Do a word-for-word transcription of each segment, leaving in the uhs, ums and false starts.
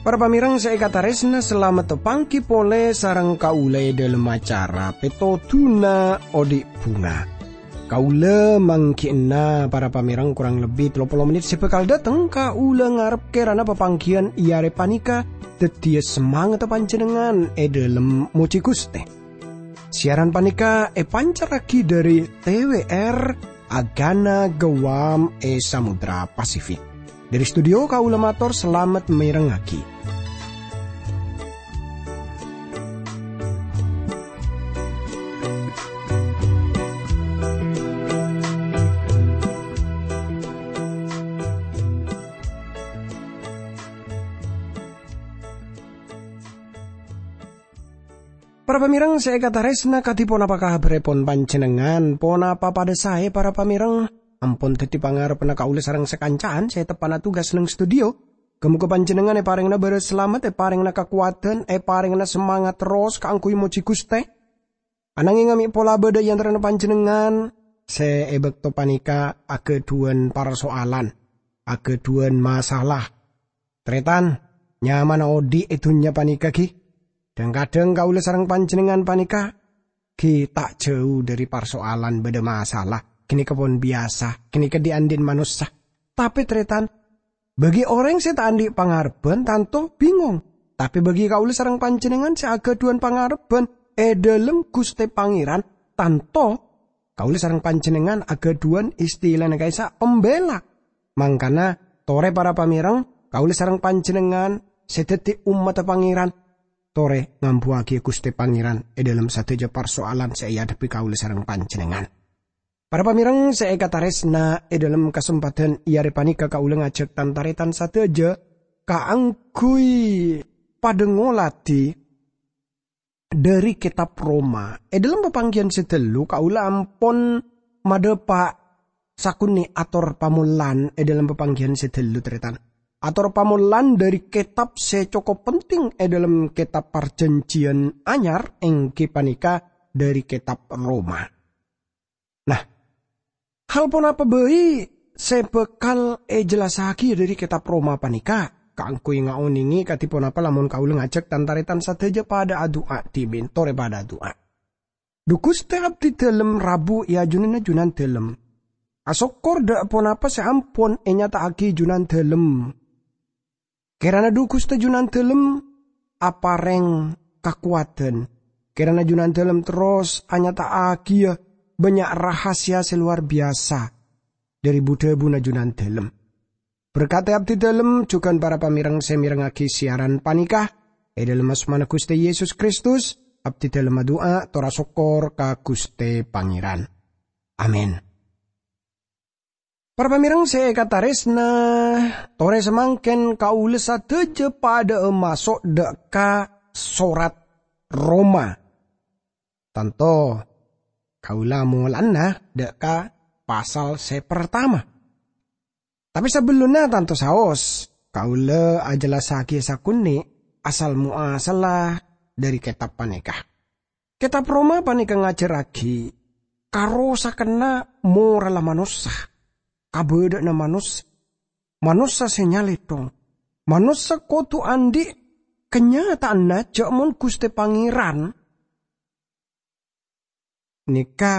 Para pamèrèng sè èkatarèsna, salamet panggi polè sareng kaulâ è dhâlem acara Pètodhuna Odi' Bhunga. Kaulâ mangghi'na para pamèrèng korang lebbi tello polo mennit sè bhâkal dâteng. Kaulâ ngarep kèrana papangghiyân è arè panèka dhâddhiyâ samangatta panjhennengngan è dhâlem mojhi Ghustè. Siaran panèka èpancarraghi dhâri T W R Agana Guam è Samudra Pasifik. Dhâri studio kaulâ mator salamet mèrèngngaghi. Para pamèrèng sè èkatarèsna, kadhi ponapa kabhârrèpon panjhennengngan? Ponapa padâ saè, para pamèrèng? Ampon dhâddhi pangarebbhânna kaulâ sareng sakanca'an sè teppa'na tugas neng studio. Ghâ-moghâ panjhennengngan èparèngana bârâs salamet, èparèngana kakowadhân, èparèngana samangat terros kaangghuy mojhi Ghustè. Ananghèng mè' pola bâdâ è antarana panjhennengngan sè è bâkto panèka aghâdhuwân parsoalan, aghâdhuwân masalah. Tarètan, nyamana odi' è dhunnya panèka, ghi? Dhâng-kadhâng kaulâ sareng panjhennengngan panèka, ghi, ta' jhâu dhâri parsoalan bâdâ masalah. Ghânèka pon biyasa, ghânèka dhi'-andhi'en manossa. Tapè, tarètan, bâgi orèng sè ta' andhi' pangarebbhân, tanto bingong. Tapè bâgi kaulâ sareng panjhennengngan sè aghâdhuwân pangarebbhân è dhâlem Ghustè Pangèran, tanto kaulâ sareng panjhennengngan aghâdhuwân istilana ka'issa' pembela. Mangkana, torè para pamèrèng, kaulâ sareng panjhennengngan sè dhâddhi ommaddhâ Pangèran, torè ngambuwâghi Ghustè Pangèran è dhâlem sadhâjâ parsoalan sè èadhebbhi kaulâ sareng panjhennengngan. Para pamèrèng sè èkatarèsna, è dhâlem kasempadhân è arè panèka kaulâ ngajhâk tan-tarètan sadhâjâ kaangghuy padâ ngoladhi dhâri Kètab Roma. È dhâlem papangghiyân sè ghâllu, kaulâ ampon madhâpa' sakonè' ator pamollan è dhâlem papangghiyân sè ghâllu, tarètan. Ator pamollan dhâri kètab sè cokop penting è dhâlem Kètab Parjhânjhiyân Anyar, èngghi panèka dhâri Kètab Roma. Nah, hal ponapa bhâi sè bhâkal èjellassaghiyâ dhâri Kètab Roma panèka? Kaangghuy ngaonèngè kadhi ponapa lamon kaulâ ngajhâk tan-tarètan sadhâjâ padâ adu'a dhibi', torè padâ adu'a. Dhu Ghustè, abdhidhâlem rabu è ajunanna Junandhâlem. Asokkor dhâ' ponapa sè ampon ènyata'aghi Junandhâlem. Kèrana dhu Ghustè Junandhâlem aparèng kakowadhân. Kèrana Junandhâlem terros anyata'aghiyâ bânnya' rahasia sè lowar biyasa dhâri bu-dhâbuna Junandhâlem. Berkadhi abdhidhâlem jhughân para pamèrèng sè mèrèngngaghi siaran panèka. È dhâlem asmana Ghustè Yesus Kristus, abdhidhâlem adu'a tor asokkor ka Ghustè Pangèran. Amin. Para pamèrèng sè èkatarèsna, torè samangkèn kaulâ sadhâjâ padhâ'â maso' dhâ' ka sorat Roma. Tanto kaulâ molana dhâ' ka pasal sè partama. Tapè sabellunna tanto saos, kaulâ ajellassaghiyâ sakonè' asal-moasalla dhâri kètab panèka. Kètab Roma panèka ngajhârraghi karosakkanna moralla manossa, kabâdâ'ânna manossa, manossa sè nyalèthong. Manossa kodhu andhi' kanyata'anna jhâ' mon Ghustè Pangèran nèka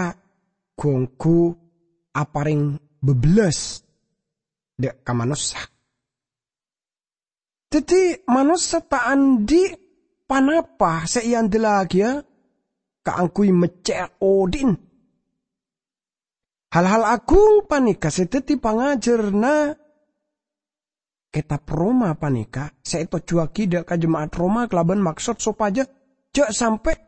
ghu-ongghu aparèng bâbellâs dhâ' ka manossa. Dhâddhi, manossa ta' andhi' ponapa sè èandellagiyâ kaangghuy meccè'a odi'na. Hal-hal agung panèka sè dhâddhi pangajhârânna kètab Roma panèka sè ètojjhuwâghi dhâ' ka jema'at Roma kalabân maksod sopajâ jhâ' sampè'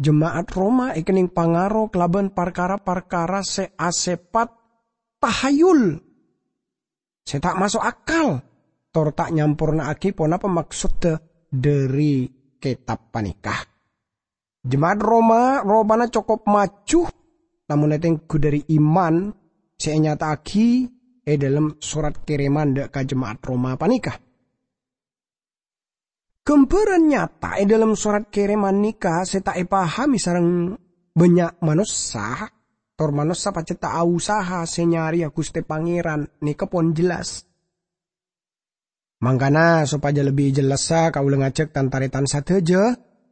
jema'at Roma èkennèng pangaro kalabân parkara-parkara sè asèpat tahayul, sè ta' maso' akal, tor ta' nyamporna'aghi ponapa maksodda dhâri kètab panèka. Jema'at Roma ropana cokop maju, namong ètengghu dhâri iman sè ènyata'aghi è dhâlem sorat kèrèman dhâ' ka jema'at Roma panèka. Ghâmbhârân nyata è dhâlem sorat kèrèman nèka sè ta' èpahami sareng bânnya' manossa, tor manossa pajhât ta' aosaha sè nyarèya Ghustè Pangèran nèka pon jellas. Mangkana, sopajâ lebbi jellassa, kaulâ ngajhâk tan-tarètan sadhâjâ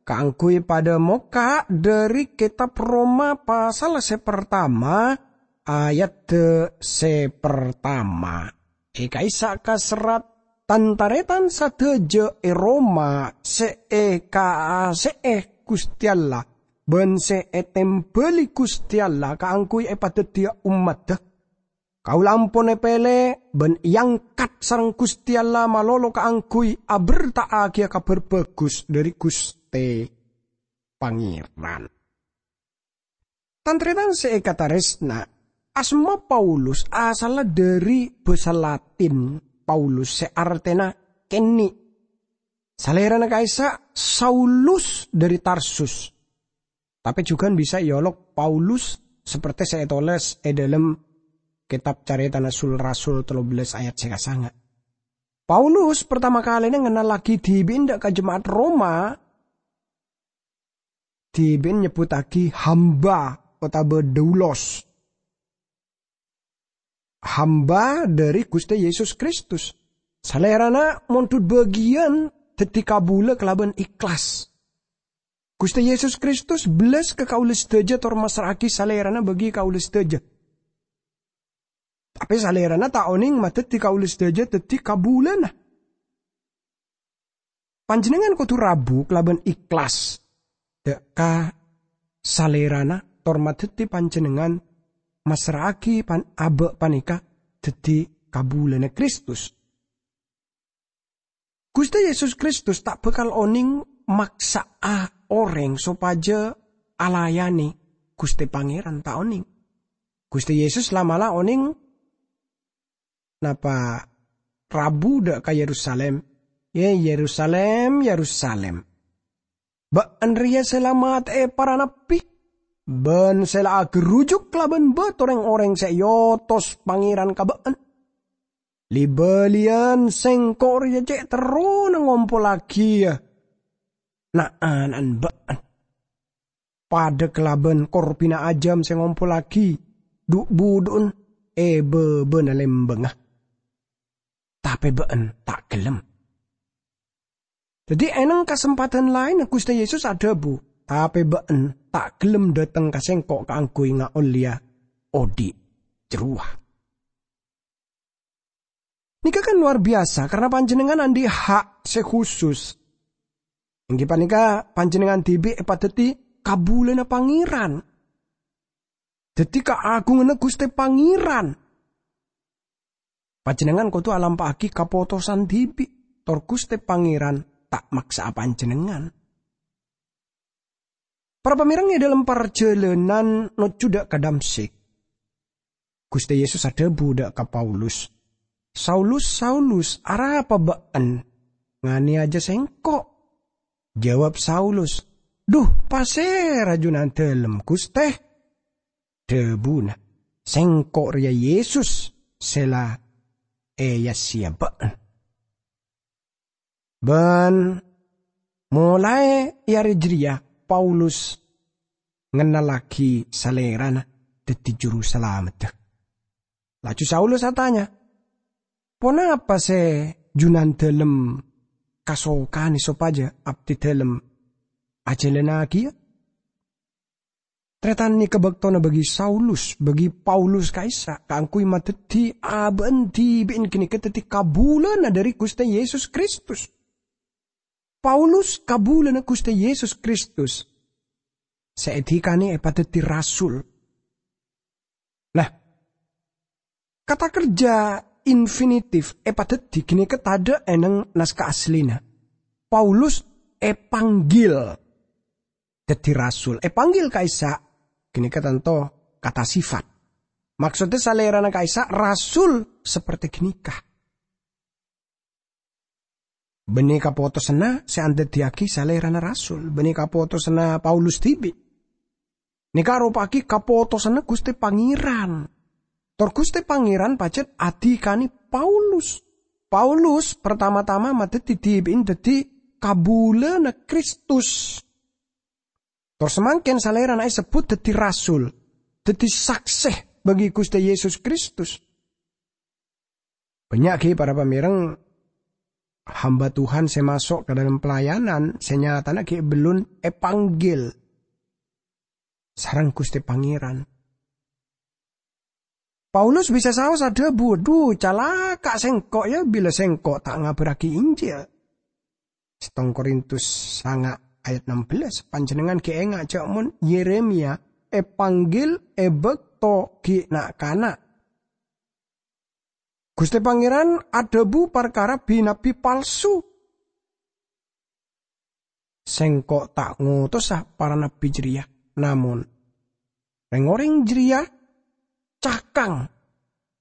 kaangghuy padâ mokka' dhâri Kètab Roma pasal sè partama, ayadda sè partama. È ka'issa' kaserrat, "Tan-tarètan sadhâjâ è Roma sè èkaase'è Ghustè Allah bân sè ètèmbhâli Ghustè Allah kaangghuy èpadhâddhiyâ ommaddhâ. Kaulâ ampon èpèlè bân èangkat sareng Ghustè Allah malolo kaangghuy aberta'aghiyâ Kabhâr Bhâghus dhâri Ghustè Pangèran." Tan-tarètan sè èkatarèsna, asma Paulus asalla dhâri bhâsa Latin Paulus sè artèna kènè'. Salèrana ka'issa' Saulus dhâri Tarsus. Tapè jhughân bisa èolok Paulus, sapertè sè ètolès è dhâlem Kètab Carètana Sul-Rasul tello bellâs ayat sè kasanga'. Paulus partama kalèna ngennallaghi dhibi'na dâ' ka jema'at Roma, dhibi'na nyebbhuttaghi hamba otabâ daulos. Hamba dhâri Ghustè Yesus Kristus. Salèrana mondhut bâgiyân dhâddhi kabulâ kalabân ikhlas. Ghustè Yesus Kristus bellas ka kaulâ sadhâjâ tor massra'aghi Salèrana bagi kaulâ sadhâjâ. Tapè Salèrana ta' onèng madhâddhi kaulâ sadhâjâ dhâddhi kabulâna. Panjhennengngan kodhu rabu kalabân ikhlas dâ' ka Salèrana, tor madhâddhi panjhennengngan massra'aghi pan-, abâ' panèka dhâddhi kabulâna Kristus. Ghustè Yesus Kristus ta' bhâkal onèng maksa'a orèng sopajâ alayanè Ghustè Pangèran, ta' onèng. Ghustè Yesus la'-mala' onèng napa rabu dâ' ka Yerusalem, "Yè, Yerusalem, Yerusalem! Bâ'ân rèya sè la matè'è para nabbhi, bân sè la aghârujuk kalabân bâto rèng-orèng sè èotos Pangèran ka bâ'ân. Li-bâliyân Sèngko' rèya cè' terrona ngompollaghiyâ na'-ana'na bâ'ân, padâ kalabân korbhina ajâm sè ngompollaghi dhu'-budhu'na è bâbâna lèmbângnga. Tapè bâ'ân ta' ghellem." Dhâddhi, è nèng kasempadhân laènna Ghustè Yesus adhâbu, "Tapè bâ'ân ta' ghellem dâteng ka Sèngko' kaangghuy ngaollèya odi' jârowa." Nèka kan luar biasa, karna panjhennengngan andi' ha' sè khusus. Èngghi panèka, panjhennengngan dhibi' èpadhâddhi kabulâna Pangèran. Dhâddhi kaagunganna Ghustè Pangèran. Panjhennengngan kodhu alampa'aghi kapotosan dhibi', tor Ghustè Pangèran ta' maksa'a panjhennengngan. Para pamèreng, è dhâlem parjhâlânan nojjhu dâ' ka Damsyik, Ghustè Yesus adhâbu dâ' ka Paulus, "Saulus, Saulus, arapa bâ'ân nganèyajâ Sèngko'?" Jâwâb Saulus, "Dhu, pasèra Junandâlem, Ghustè?" Dhâbuna, "Sèngko' rèya Yesus sè la èyassèya bâ'ân." Bân molaè è arè jârèya Paulus ngennallaghi Salèrana dhâddhi Jurusalameddhâ. Laju Saulus atanya, "Ponapa sè Junandâlem kasokanè sopajâ abdidâlem ajhâlânnagiyâ?" Tarètan nèka bâktona bâgi Saulus, bâgi Paulus ka'issa' kaangghuy madhâddhi abâ'na dhibi'na ghânèka dhâddhi kabulâna dhâri Ghustè Yesus Kristus. Paulus kabulâna Ghustè Yesus Kristus sè èdhikanè èpadhâddhi rasul. Nah, kata kerja infinitif èpadhâddhi ghânèka tadâ' è nèng naskah asllina. Paulus èpanggil dhâddhi rasul. Èpanggil ka'issa' ghânèka tanto kata sifat. Maksoddhâ Salèrana ka'issa' rasul sapertè ghânèka. Bânnè kapotosanna sè andhâddhiyâghi Salèrana rasul, bânnè kapotosanna Paulus dhibi'. Nèka aropa'aghi kapotosanna Ghustè Pangèran. Tor Ghustè Pangèran pajhât adhikanè Paulus. Paulus partama-tama madhâddhi dhibi'na dhâddhi kabulâna Kristus. Tor samangkèn salèrana èsebbhut dhâddhi rasul, dhâddhi saksè bagi Ghustè Yesus Kristus. Bânnya' ghi' para pamèrèng hamba Tuhan sè maso' ka dâlem pelayanan sè nyatana ghi' bellun èpanggil sareng Ghustè Pangèran. Paulus bisa saos adhâbu, "Dhu, calaka' sèngko', ya, bilâ sèngko' ta' ngabârraghi Injil." Settong Korintus sanga' ayat ennem belas, panjhennengngan ghi' enga' jâ' mon Yeremia èpanggil è bâkto ghi' na'-kana'. Ghustè Pangèran adhâbu parkara bi-nabbi palsu. "Sèngko' ta' ngotosa para nabbi jârèya, namong rèng-orèng jârèya cakang.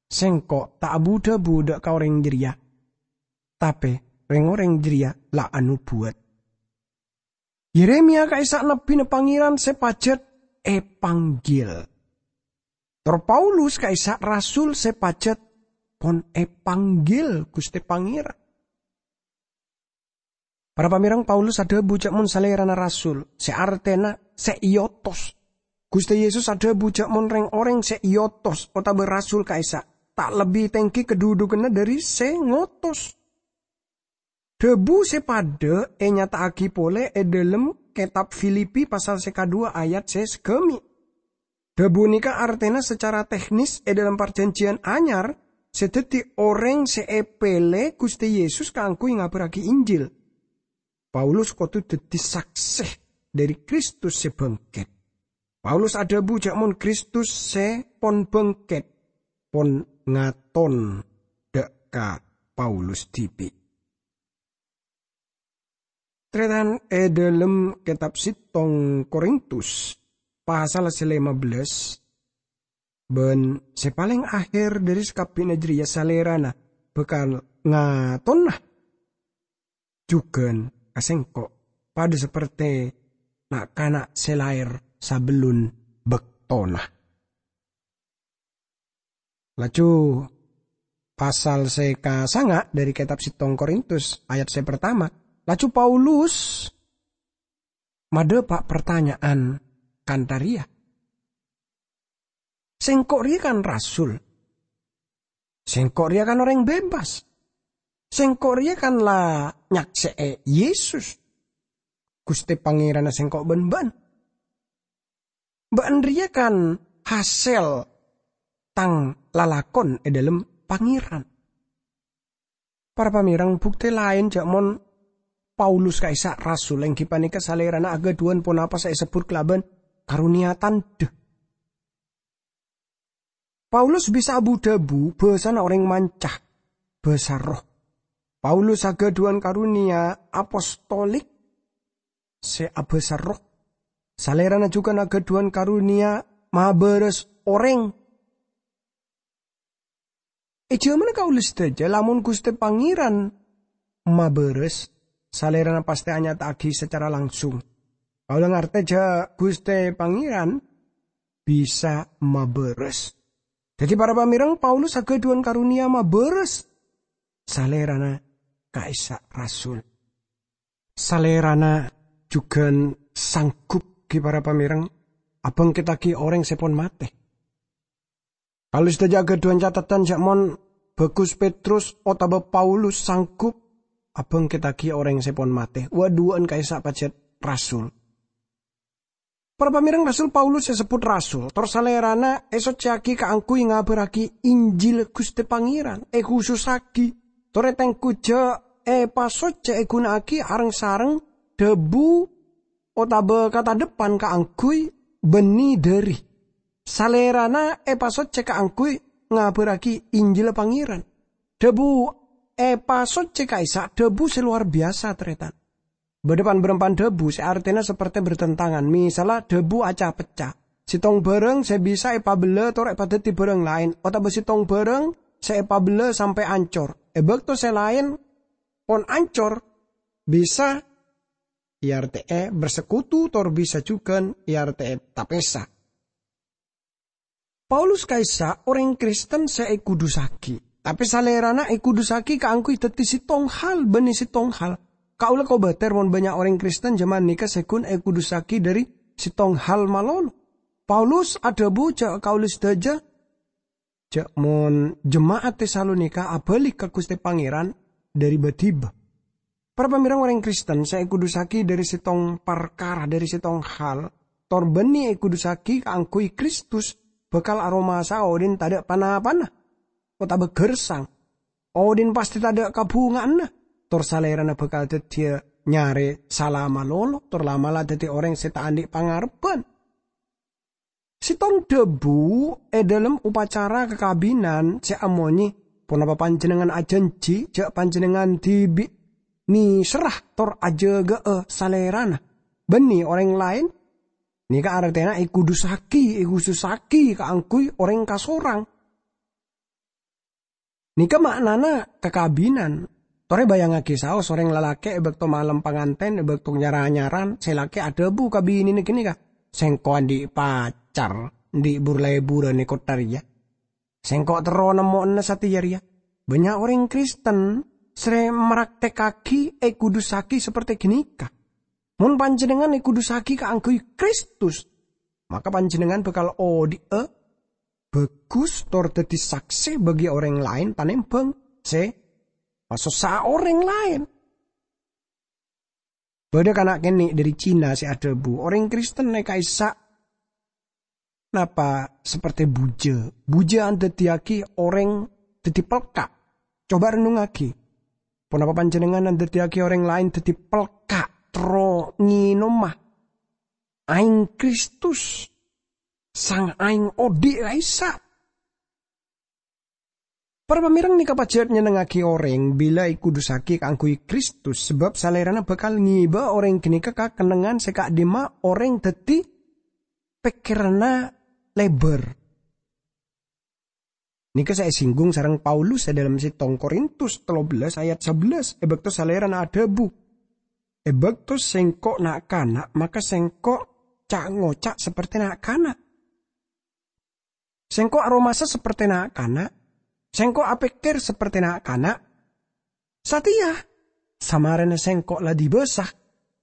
Sèngko' ta' abu-dhâbu dâ' ka orèng jârèya, tapè rèng-orèng jârèya la anobuwât." Yeremia ka'issa' nabbina Pangèran sè pajhât èpanggil. Tor Paulus ka'issa' rasul sè pajhât pon èpanggil Ghustè Pangèran. Para pamèrèng, Paulus adhâbu jâ' mon salèrana rasul, sè artèna sè èotos. Ghustè Yesus adhâbu jâ' mon rèng-orèng sè èotos otabâ rasul ka'issa' ta' lebbi tèngghi kadhudhughânna dhâri sè ngotos. Dhâbu sè padâ ènyata'aghi polè è dhâlem kètab Filipi pasal sè kaduwâ ayat sè saghâmè'. Dhâbu nèka artèna sacara teknis è dhâlem Parjhânjhiyân Anyar sè dhâddhi orèng sè èpèlè Ghustè Yesus kaangghuy ngabârraghi Injil. Paulus kodhu dhâddhi saksè dhâri Kristus sè bângkèt. Paulus adhâbu jâ' mon Kristus sè pon bângkèt, pon ngaton dâ' ka Paulus dhibi'. Tarètan è dhâlem kètab settong Korintus, pasal sè lèma bellâs, bân sè palèng akhèr dhâri sakabbhina jârèya salèrana bhâkal ngatona jhughân ka sèngko', padâ sapertè na'-kana' sè laèr sabellun bâktona. Laju pasal sè kasanga' dhâri kètab settong Korintus, ayat sè partama, laju Paulus madhâpa' partanya'an kantha rèya, "Sèngko' rèya kan rasul. Sèngko' rèya kan orèng bebas. Sèngko' rèya kan la nyaksè'è Yesus, Ghustè Pangèranna sèngko' bân bâ'na. Bâ'na rèya kan hasèl tang lalakon è dhâlem Pangèran." Para pamèrèng, buktè laèn jâ' mon Paulus ka'issa' rasul, èngghi panèka salèrana aghâdhuwân ponapa sè èsebbhut kalabân karonèya tandhâ. Paulus bisa abu-dhâbu bhâsana orèng manca, bhâsa roh. Paulus aghâdhuwân karonèya apostolik sè abhâsa roh. Salèrana jhughân aghâdhuwân karonèya mabârâs orèng. È jhâmanna kaulâ sadhâjâ, lamon Ghustè Pangèran mabârâs, salèrana pastè anyata'aghi sacara langsung. Kaulâ ngartè jâ' Ghustè Pangèran bisa mabârâs. Dhâddhi, para pamèrèng, Paulus aghâdhuwân karonèya mabârâs salèrana ka'issa' rasul. Salèrana jhughân sanggup, ghi, para pamèrèng, abângkèttaghi orèng sè pon matè. Kaulâ sadhâjâ aghâdhuwân catetan jâ' mon bhâghus Petrus otabâ Paulus sanggup abângkèttaghi orèng sè pon matè, wâ'-duwâ'ân ka'issa' pajhât rasul. Para pamèrèng, rasul Paulus èsebbhut rasul, tor salèrana èsoccèyaghi kaangghuy ngabârraghi Injil Ghustè Pangèran, èkhusussaghi, tor ètengghu jâ' èpasoccè èghuna'aghi areng-sareng dhâbu otabâ katadheppan kaangghuy bânnè dhâri. Salèrana èpasoccè kaangghuy ngabârraghi Injil Pangèran. Dhâbu èpasoccè ka'issa' dhâbu sè lowar biyasa, tarètan. Bâdâ pan-bârâmpan dhâbu sè artèna sapertè bertentangan, misalla dhâbu aca-pecca. Sèttong bhârâng sè bisa èpabellâ tor èpadhâddhi bhârâng laèn, otabâ sèttong bhârâng sè èpabellâ sampè' ancor. È bâkto sè laèn pon ancor, bisa èartè'è bersekutu tor bisa jhughân èartè'è tapèsa. Paulus ka'issa' orèng Kristen sè èkhudussaghi, tapè salèrana èkhudussaghi kaangghuy dhâddhi sèttong hal bânnè sèttong hal. Kaulâ kobâtèr mon bânnya' orèng Kristen jhâman nèka sè ghun èkudusaghi dhâri sèttong hal malolo. Paulus adhâbu jhâ' kaulâ sadhâjâ, jhâ' mon jema'at Tesalonika abâli ka Ghustè Pangèran dhâri bâ-dhibâ. Para pamèrèng orèng Kristen sè èkudusaghi dhâri sèttong parkara, dhâri sèttong hal, tor bânnè èkudusaghi kaangghuy Kristus, bhâkal aromasa'a odhi'na tadâ' pa-napana, otabâ ghârsang. Odhi'na pastè tadâ' kabhunga'anna, tor salèrana bhâkal dhâddhiyâ nyarè sala malolo, tor la'-mala' dhâddhi orèng sè ta' andi' pangarebbhân. Sèttong dhâbu è dhâlem upacara kakabinan sè amonyè, "Ponapa panjhennengngan ajhânjhi jhâ' panjhennengngan dhibi' nèserra tor ajâgâ'â salèrana, bânnè orèng laèn?" Nèka artèna èkudusaghi, èkhusussaghi kaangghuy orèng kasorang. Nèka ma'nana kakabinan. Torè bâjângaghi saos orèng lalakè' è bâkto malem pangantèn, è bâkto nyar-anyaran, sè lakè' adhâbu ka binèna ghânèka, "Sèngko' andi' pacar, andi' bur-lèburân è kottha rèya. Sèngko' terro nemmo'ana satèya rèya." Bânnya' orèng Kristen sè mraktèkkaghi èkudusaghi saperte ghânèka. Mon panjhennengngan èkudusaghi kaangghuy Kristus, maka panjhennengngan bhâkal odhi'â bhâghus tor dhâddhi saksè bagi orèng laèn tanèmbhâng sè masossa'a orèng laèn. Bâdâ kana' kènè' dhâri Cina sè adhâbu, "Orèng Kristen è ka'issa' napa saperte bujâ. Bujâ andhâddhiyâghi orèng dhâddhi pelka'." Coba rennungngaghi. Ponapa panjhennengngan andhâddhiyâghi orèng laèn dhâddhi pelka', terro ngènoma aèng Kristus, sang aèng odhi' ka'issa'? Para pamèrèng, nèka pajhât nyennengngaghi orèng bilâ èkudusaghi kaangghuy Kristus, sabâb Salèrana bhâkal ngèbâ orèng ghânèka ka kennengngan sè ka'dhimma orèng dhâddhi pèkkèranna lèbâr. Nèka sè èsinggung sareng Paulus è dhâlem sèttong Korintus tello bellâs ayat sabellâs, è bâkto Salèrana adhâbu, "È bâkto sèngko' na'-kana', maka sèngko' ca'-ngoca' saperte na'-kana'. Sèngko' aromasa saperte na'-kana', sèngko' apèkkèr saperte na'-kana'. Satèya, samarèna sèngko' la dibâsa,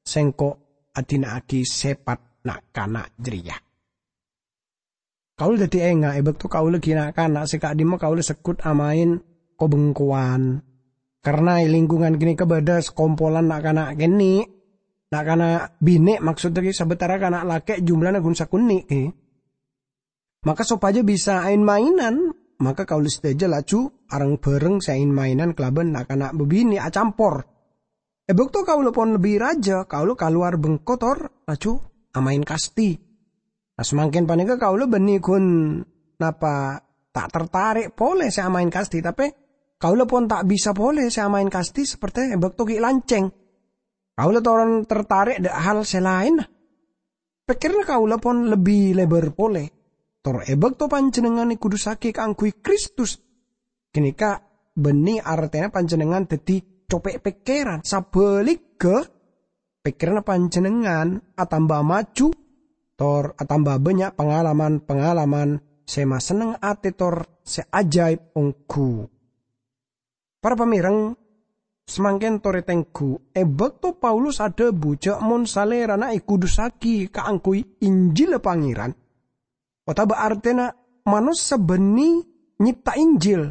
sèngko' adhina'aghi sèpat na'-kana' jârèya." Kaulâ dhâddhi enga' è bâkto kaulâ ghi' na'-kana' sè ka'dhimma kaulâ segghut amaèn ko-bengkowan. Karna è lingkungan ghânèka bâdâ sakompolan na'-kana' kènè', na'-kana' binè', maksodda ghi' sabâtara kana' lakè' jumlana ghun sakonè' ghi. Maka sopajâ bisa aèn-maènan, maka kaulâ sadhâjâ laju areng-bhâreng sè aèn-maènan kalabân na'-kana' bâbinè' acampor. È bâkto kaulâ pon lebbi rajâ, kaulâ kalowar bengko tor laju amaèn kasti. Nah, samangkèn panèka kaulâ bânnè ghun napa ta' tertarè' polè sè amaèn kasti, tapè kaulâ pon ta' bisa polè sè amaèn kasti saperte è bâkto ghi' lancèng. Kaulâ toron tertarè' dâ' hal sè laènna. Pèkkèranna kaulâ pon lebbi lèbâr polè. Tor è bâkto panjhennengngan èkudusaghi kaangghuy Kristus, ghânèka bânnè artèna panjhennengngan dhâddhi copè' pèkkèran. Sabhâligghâ, pèkkèranna panjhennengngan atamba maju, tor atamba bânnya' pangalaman-pangalaman sè masenneng atè tor sè ajaib ongghu. Para pamèrèng, samangkèn torè tengghu, è bâkto Paulus adhâbu jhâ' mon Salèrana èkudusaghi kaangghuy Injilla Pangèran, otabâ artèna manossa bânnè nyèpta Injil.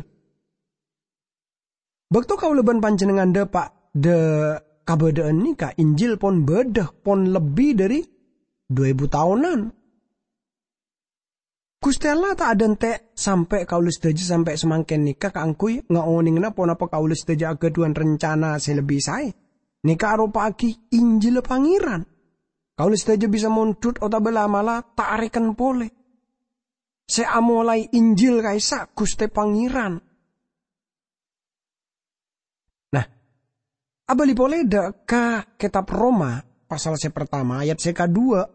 Bâkto kaulâ bân panjhennengngan dâpa' dâ' kabâdâ'ân nèka, Injil pon bâdâ pon lebbi dhâri du èbu taonan. Ghustè Allah ta' adhânte' sampè' kaulâ sadhâjâ sampè' samangkèn nèka kaangghuy ngaonèngana ponapa kaulâ sadhâjâ aghâdhuwân rencana sè lebbi saè. Nèka aropa'aghi Injilla Pangèran. Kaulâ sadhâjâ bisa mondhut otabâ la'-mala' ta' arèken polè. Sè amolaè Injil ka'issa' Ghustè Pangèran. Nah, abâli polè dâ' ka Kètab Roma, pasal sè partama, ayat sè kadhuwâ',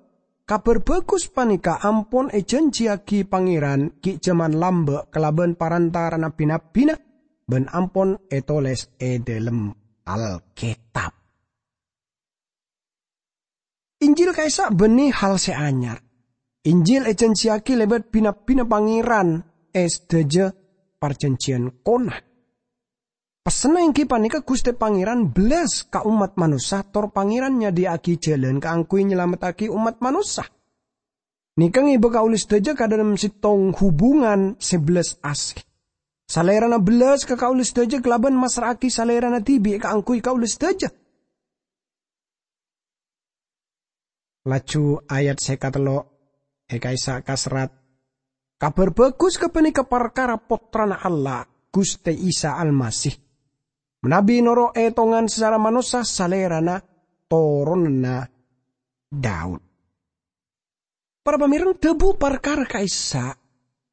Kabhâr Bhâghus panèka ampon èjhânjhiyaghi Pangèran ghi' jhâman lambâ' kalabân parantara'anna bi-nabbina, bân ampon ètolès è dhâlem Alkètab. Injil ka'issa' bânnè hal sè anyar. Injil èjhânjhiyaghi lèbât bi-nabbina Pangèran è sadhâjâ parjhânjhiyân kona. Pessenna èngghi panèka Ghustè Pangèran bellas ka ommat manossa, tor Pangèran nyadhiyâ'aghi jhâlân kaangghuy nyalamettaghi ommat manossa. Nèka ngèbâ kaulâ sadhâjâ ka dhâlem sèttong hubungan sè bellas asè. Salèrana bellas ka kaulâ sadhâjâ kalabân massra'aghi Salèrana dhibi' kaangghuy kaulâ sadhâjâ. Laju ayat sè katello' è ka'issa' kaserrat, "Kabhâr Bhâghus ghâpanèka parkara Pottrana Allah, Ghustè Isa Almasih. Manabi noro' ètongan sacara manossa, Salèrana toronanna Daud." Para pamèreng, dhâbu parkara ka'issa'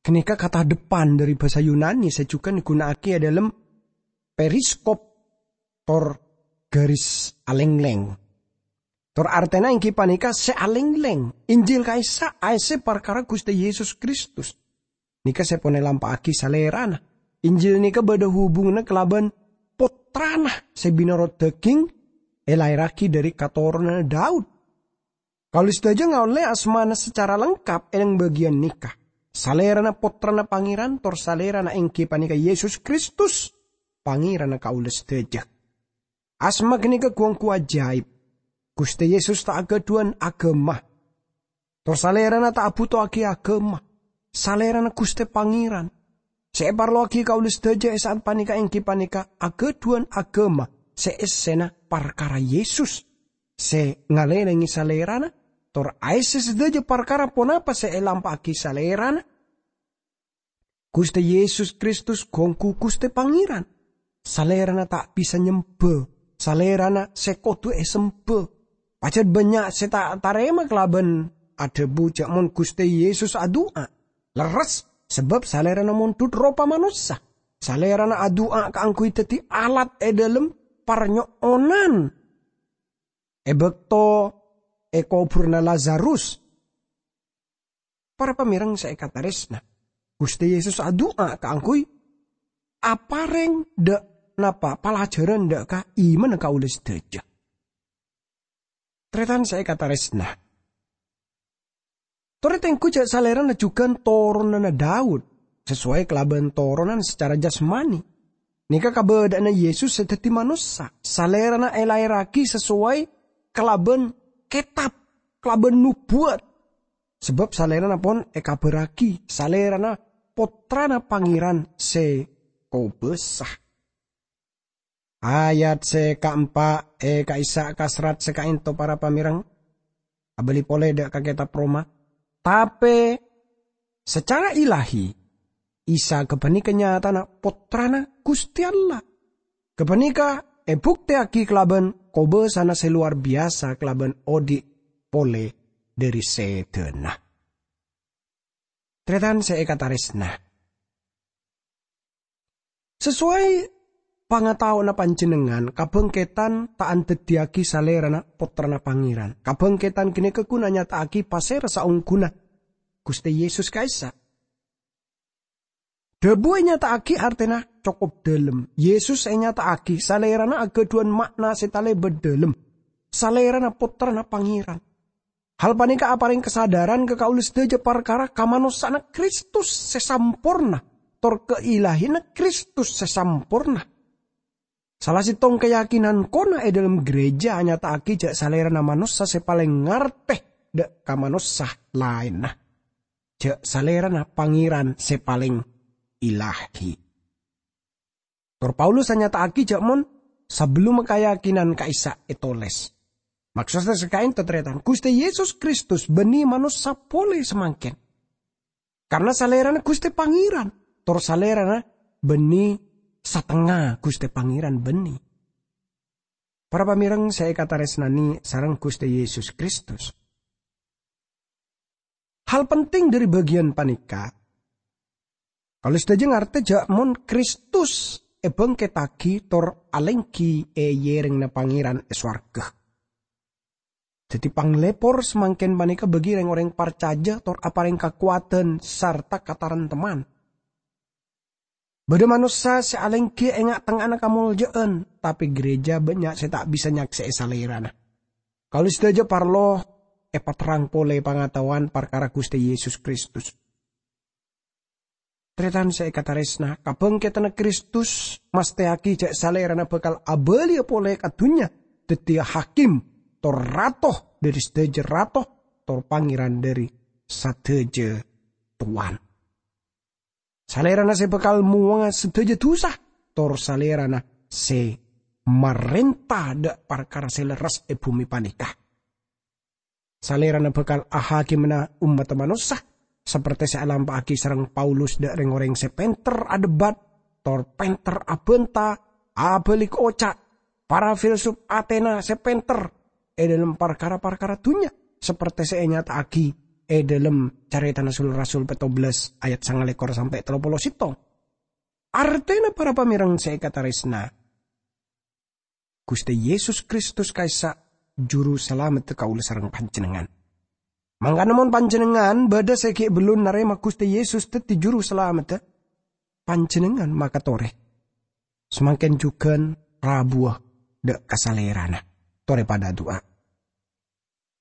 ghânèka katadheppan dhâri bhâsa Yunani sè jhughân èghuna'aghi è dhâlem periskop tor garis alènglèng. Tor artèna èngghi panèka sè alènglèng. Injil ka'issa' aèssè parkara Ghustè Yesus Kristus. Nèka sè pon èlampa'aghi Salèrana. Injil nèka bâdâ hubunganna kalabân Pottrana sè binoto dhâghing èlaèrraghi dhâri katoronanna Daud. Kaulâ sadhâjâ ngaollè asmana sacara lengkap è bâgiyân nèka. Salèrana Pottrana Pangèran, tor Salèrana èngghi panèka Yesus Kristus, Pangèranna kaulâ sadhâjâ. Asma ghânèka ghu-ongghu ajaib. Ghustè Yesus ta' aghâdhuwân aghâma. Tor Salèrana ta' abhutowaghi aghâma. Salèrana Ghustè Pangèran. Sè èparlowaghi kaulâ sadhâjâ è sa'at panèka èngghi panèka aghâdhuwân aghâma sè èssèna parkara Yesus, sè ngalèlèngè Salèrana, tor aèssè sadhâjâ parkara ponapa sè èlampa'aghi Salèrana. Ghustè Yesus Kristus ghu-ongghu Ghustè Pangèran. Salèrana ta' bisa nyembhâ. Salèrana sè kodhu èsembhâ. Pajhât bânnya' sè ta' tarèma kalabân adhâbu jâ' mon Ghustè Yesus adu'a. Lerres, sabâb Salèrana mondhut ropa manossa. Salèrana adu'a kaangghuy dhâddhi alat è dhâlem parnyo'onan è bâkto èkobhurrâ Lazarus. Para pamèreng sè èkatarèsna, Ghustè Yesus adu'a kaangghuy aparèng dâ' napa palajhârân dâ' ka imanna kaulâ sadhâjâ. Tarètan sè èkatarèsna, torè tengghu jâ' Salèrana jhughân toronanna Daud, sasoway kalabân toronan sacara jasmani. Nèka kabâdâ'ânna Yesus sè dhâddhi manossa. Salèrana èlaèrraghi sasoway kalabân kètab, kalabân nobuwat. Sabâb Salèrana pon èkabhârraghi, Salèrana Pottrana Pangèran sè kobâsa. Ayat sè kaempa' è ka'issa' kaserrat sè ka'ento, para pamèreng. Abâli polè dâ' ka Kètab Roma. Tapè, sacara ilahi, Isa ghâpanèka nyatana Pottrana Ghustè Allah. Ghâpanèka èbuktèyaghi kalabân kobâsana sè lowar biyasa kalabân odi' polè dhâri sèdhâna. Tarètan sè èkatarèsna. Sasoway pangataowanna panjhennengngan, kabhângkèdhân ta' andhâddhiyâghi Salèrana Pottrana Pangèran. Kabhângkèdhân ghânèka ghun anyata'aghi pasèra saongghuna Ghustè Yesus ka'issa'. Dhâbu ènyata'aghi artèna cokop dhâlem. Yesus ènyata'aghi Salèrana aghâdhuwân ma'na sè talèbât dhâlem. Salèrana Pottrana Pangèran. Hal panèka aparèng kasadhârân ka kaulâ sadhâjâ parkara kamanossa'anna Kristus sè samporna, tor kailahiyanna Kristus sè samporna. Sala sèttong kayakinan kona è dhâlem ghârèjâ anyata'aghi jâ' Salèrana manossa sè palèng ngartè dâ' ka manossa laènna. Jâ' Salèrana Pangèran sè palèng ilahi. Tor Paulus anyata'aghi jâ' mon sabellunna kayakinan ka'issa' ètolès. Maksodda sè ka'ento, tarètan, Ghustè Yesus Kristus bânnè manossa polè samangkèn. Karna Salèrana Ghustè Pangèran, tor Salèrana bânnè satengnga Ghustè Pangèran bânnè. Para pamèreng sè èkatarèsnanè sareng Ghustè Yesus Kristus. Hal penting dhâri bâgiyân panèka, kaulâ sadhâjâ ngartè jâ' mon Kristus èbângkèttaghi tor alèngghi è yèrèngnga Pangèran è sowarghâ. Dhâddhi, panglèpor samangkèn panèka bâgi rèng-orèng parcajâ tor aparèng kakowadhân sarta kataremtemman. Bâdâ manossa sè alèngghi è nga'-tengnga'anna kamoljâ'ân, tapè ghârèjâ bânnya' sè ta' bisa nyaksè'è Salèrana. Kaulâ sadhâjâ parlo èpaterrang polè pangataowan parkara Ghustè Yesus Kristus. Tarètan sè èkatarèsna, kabhângkèdhânna Kristus mastèyaghi jhâ' Salèrana bhâkal abâliyâ polè ka dhunnya dhâddhiyâ hakim, tor rato dhâri sadhâjâ rato, tor Pangèran dhâri sadhâjâ towan. Salèrana sè bhâkal mowanga sadhâjâ dhusa, tor Salèrana sè marènta dhâ' parkara sè lerres è bhumè panèka. Salèrana bhâkal ahakimana ommaddhâ manossa, saperte sè alampa'aghi sareng Paulus dhâ' rèng-orèng sè pènter adhebât, tor pènter abhânta, abâli oca', para filsuf Atena sè pènter è dhâlem parkara-parkara dhunnya, saperte sè ènyata'aghi è dhâlem Carètana Sul-Rasul pètto bellâs ayat sangalèkor sampè' tello polo sèttong. Artèna para pamèreng sè èkatarèsna, Ghustè Yesus Kristus ka'issa' Juru Salameddhâ kaulâ sareng panjhennengngan. Mangkana mon panjhennengngan bâdâ sè ghi' bellun narèma Ghustè Yesus dhâddhi Juru Salameddhâ, panjhennengngan makatorè. Samangkèn jhughân rabuwâ dhâ' ka Salèrana. Torè padâ adu'a.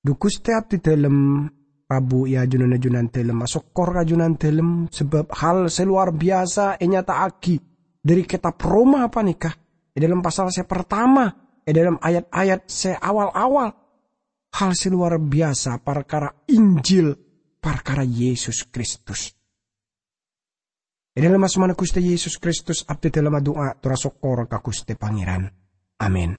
Dhu Ghustè abdidhâlem, rabu è ajunanna Junandhâlem, asokkor ka Junandhâlem, sabâb hal sè lowar biyasa ènyata'aghi dhâri kètab Roma panèka, è dhâlem pasal sè partama, è dhâlem ayat-ayat sè awal-awal. Hal sè lowar biyasa parkara Injil, parkara Yesus Kristus. È dhâlem asmana Ghustè Yesus Kristus, abdidhâlem adu'a, tor asokkor ka Ghustè Pangèran. Amin.